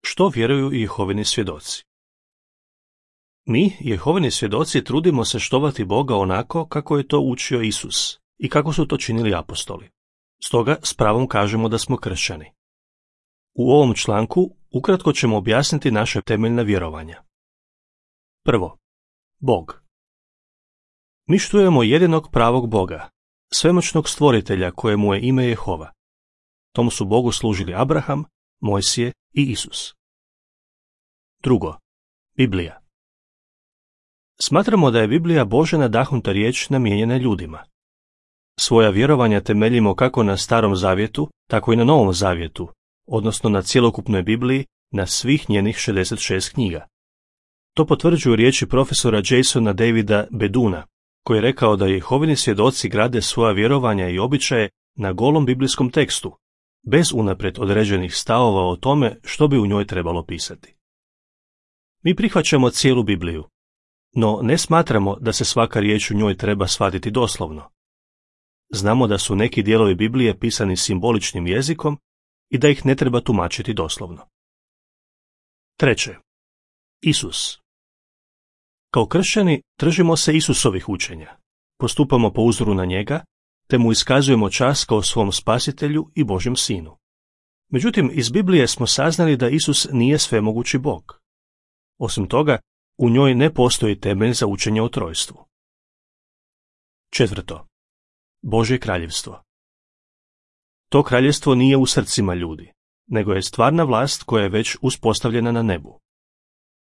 Što vjeruju Jehovini svjedoci? Mi, Jehovini svjedoci, trudimo se štovati Boga onako kako je to učio Isus i kako su to činili apostoli. Stoga s pravom kažemo da smo kršćani. U ovom članku ukratko ćemo objasniti naše temeljna vjerovanja. Prvo, Bog. Mi štujemo jedinog pravog Boga, svemoćnog stvoritelja kojemu je ime Jehova. Tomu su Bogu služili Abraham, Mojsije i Isus. Drugo, Biblija. Smatramo da je Biblija Božja nadahnuta riječ namijenjena ljudima. Svoja vjerovanja temeljimo kako na Starom zavjetu, tako i na Novom zavjetu, odnosno na cjelokupnoj Bibliji, na svih njenih 66 knjiga. To potvrđuju riječi profesora Jasona Davida Beduna, koji je rekao da Jehovini svjedoci grade svoja vjerovanja i običaje na golom biblijskom tekstu, bez unaprijed određenih stavova o tome što bi u njoj trebalo pisati. Mi prihvaćamo cijelu Bibliju, no ne smatramo da se svaka riječ u njoj treba shvatiti doslovno. Znamo da su neki dijelovi Biblije pisani simboličnim jezikom i da ih ne treba tumačiti doslovno. Treće, Isus. Kao kršćani držimo se Isusovih učenja, postupamo po uzoru na njega, te mu iskazujemo čast kao svom spasitelju i Božjem sinu. Međutim, iz Biblije smo saznali da Isus nije svemogući Bog. Osim toga, u njoj ne postoji temelj za učenje o trojstvu. Četvrto, Božje kraljevstvo. To kraljevstvo nije u srcima ljudi, nego je stvarna vlast koja je već uspostavljena na nebu.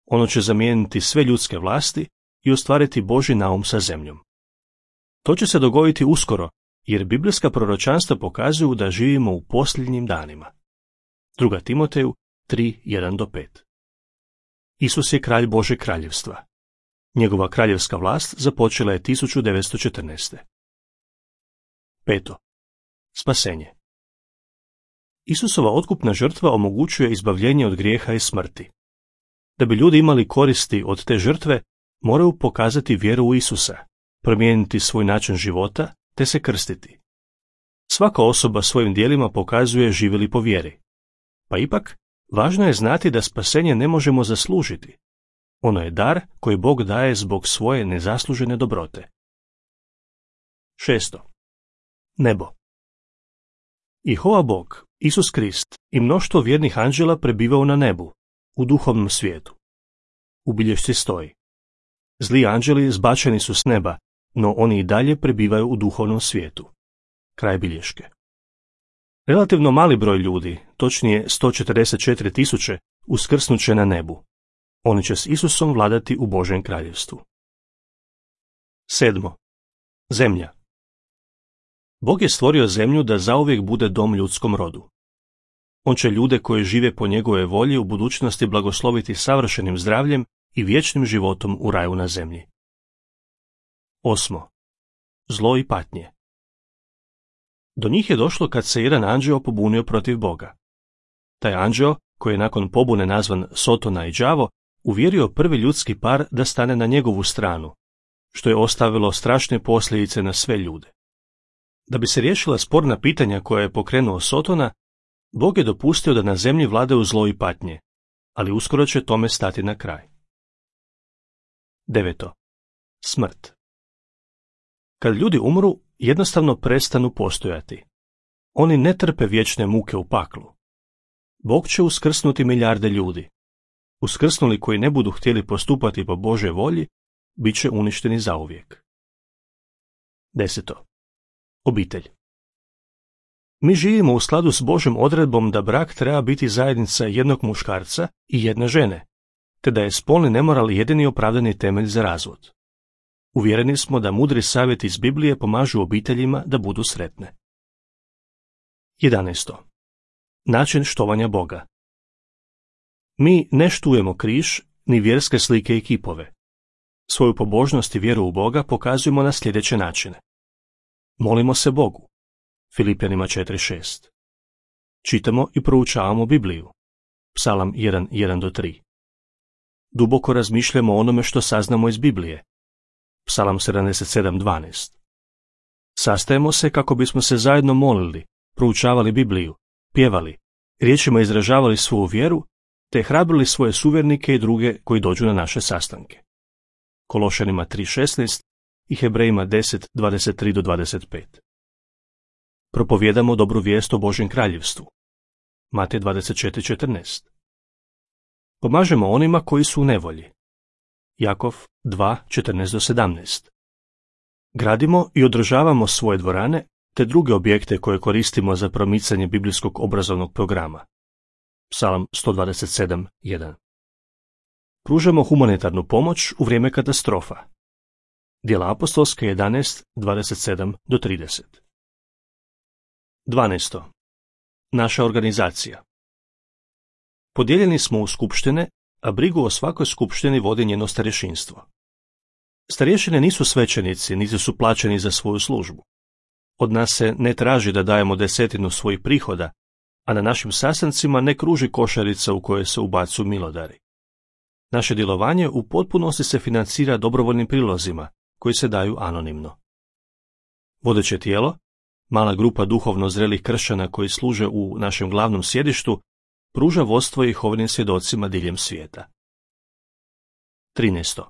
Ono će zamijeniti sve ljudske vlasti i ostvariti Božji naum sa zemljom. To će se dogoditi uskoro, jer biblijska proročanstva pokazuju da živimo u posljednjim danima. 2. Timoteju 3:1-5. Isus je kralj Božeg kraljevstva. Njegova kraljevska vlast započela je 1914. Peto, spasenje. Isusova otkupna žrtva omogućuje izbavljenje od grijeha i smrti. Da bi ljudi imali koristi od te žrtve, moraju pokazati vjeru u Isusa, promijeniti svoj način života te se krstiti. Svaka osoba svojim djelima pokazuje živi li po vjeri. Pa ipak, važno je znati da spasenje ne možemo zaslužiti. Ono je dar koji Bog daje zbog svoje nezaslužene dobrote. Šesto, nebo. Jehova Bog, Isus Krist i mnoštvo vjernih anđela prebivaju na nebu, u duhovnom svijetu. U bilješci stoji: zli anđeli zbačeni su s neba, no oni i dalje prebivaju u duhovnom svijetu. Kraj bilješke. Relativno mali broj ljudi, točnije 144.000, uskrsnut će na nebu. Oni će s Isusom vladati u Božjem kraljevstvu. Sedmo, zemlja. Bog je stvorio zemlju da zauvijek bude dom ljudskom rodu. On će ljude koji žive po njegove volji u budućnosti blagosloviti savršenim zdravljem i vječnim životom u raju na zemlji. Osmo, zlo i patnje. Do njih je došlo kad se jedan anđeo pobunio protiv Boga. Taj anđeo, koji je nakon pobune nazvan Sotona i Đavo, uvjerio prvi ljudski par da stane na njegovu stranu, što je ostavilo strašne posljedice na sve ljude. Da bi se riješila sporna pitanja koja je pokrenuo Sotona, Bog je dopustio da na zemlji vladaju zlo i patnje, ali uskoro će tome stati na kraj. Deveto, smrt. Kad ljudi umru, jednostavno prestanu postojati. Oni ne trpe vječne muke u paklu. Bog će uskrsnuti milijarde ljudi. Uskrsnuli koji ne budu htjeli postupati po Božoj volji, bit će uništeni zauvijek. Deseto, obitelj. Mi živimo u skladu s Božjom odredbom da brak treba biti zajednica jednog muškarca i jedne žene, te da je spolni nemoral jedini opravdani temelj za razvod. Uvjereni smo da mudri savjeti iz Biblije pomažu obiteljima da budu sretne. 11. Način štovanja Boga. Mi ne štujemo križ ni vjerske slike i kipove. Svoju pobožnost i vjeru u Boga pokazujemo na sljedeće načine. Molimo se Bogu. Filipljanima 4:6. Čitamo i proučavamo Bibliju. Psalam 1:1-3. Duboko razmišljamo o onome što saznamo iz Biblije. Psalam 77:12. Sastajemo se kako bismo se zajedno molili, proučavali Bibliju, pjevali, riječima izražavali svoju vjeru, te hrabrili svoje suvernike i druge koji dođu na naše sastanke. Kološanima 3.16 i Hebrejima 10.23-25. Propovjedamo dobru vijest o Božjem kraljevstvu. Matej 24.14. Pomažemo onima koji su u nevolji. Jakov 2.14-17. Gradimo i održavamo svoje dvorane te druge objekte koje koristimo za promicanje biblijskog obrazovnog programa. Psalam 127.1. Pružamo humanitarnu pomoć u vrijeme katastrofa. Djela apostolska 11.27-30. 12. Naša organizacija. Podijeljeni smo u skupštine, a brigu o svakoj skupštini vodi njeno starješinstvo. Starješine nisu svećenici, niti su plaćeni za svoju službu. Od nas se ne traži da dajemo 10% svojih prihoda, a na našim sastancima ne kruži košarica u kojoj se ubacuju milodari. Naše djelovanje u potpunosti se financira dobrovoljnim prilozima, koji se daju anonimno. Vodeće tijelo, mala grupa duhovno zrelih kršćana koji služe u našem glavnom sjedištu, pruža vodstvo Jehovinim svjedocima diljem svijeta. 13.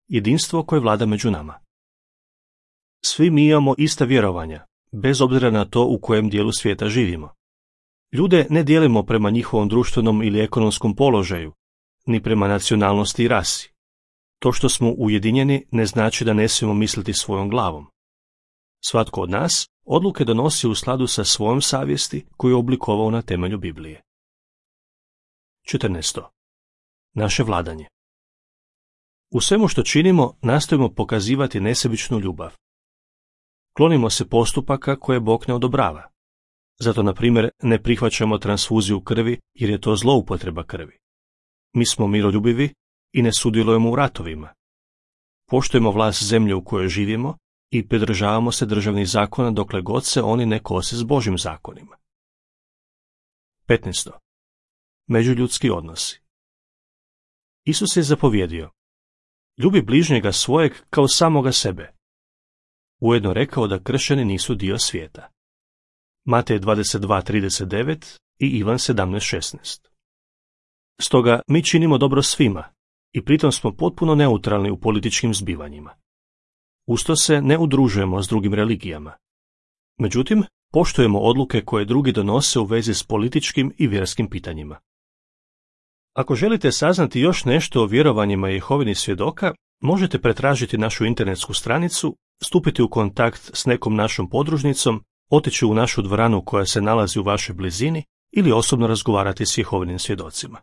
Jedinstvo koje vlada među nama. Svi mi imamo ista vjerovanja, bez obzira na to u kojem dijelu svijeta živimo. Ljude ne dijelimo prema njihovom društvenom ili ekonomskom položaju, ni prema nacionalnosti i rasi. To što smo ujedinjeni ne znači da ne smijemo misliti svojom glavom. Svatko od nas odluke donosi u skladu sa svojom savjesti koju je oblikovao na temelju Biblije. 14. Naše vladanje. U svemu što činimo nastojimo pokazivati nesebičnu ljubav. Klonimo se postupaka koje Bog ne odobrava. Zato, na primjer, ne prihvaćamo transfuziju krvi jer je to zloupotreba krvi. Mi smo miroljubivi i ne sudjelujemo u ratovima. Poštujemo vlast zemlje u kojoj živimo i pridržavamo se državnih zakona dokle god se oni ne kose s Božjim zakonima. 15. Međuljudski odnosi. Isus je zapovjedio: ljubi bližnjega svojeg kao samoga sebe. Ujedno rekao da kršćani nisu dio svijeta. Matej 22.39 i Ivan 17.16. Stoga mi činimo dobro svima i pritom smo potpuno neutralni u političkim zbivanjima. Usto se ne udružujemo s drugim religijama. Međutim, poštujemo odluke koje drugi donose u vezi s političkim i vjerskim pitanjima. Ako želite saznati još nešto o vjerovanjima Jehovinih svjedoka, možete pretražiti našu internetsku stranicu, stupiti u kontakt s nekom našom podružnicom, otići u našu dvoranu koja se nalazi u vašoj blizini ili osobno razgovarati s Jehovinim svjedocima.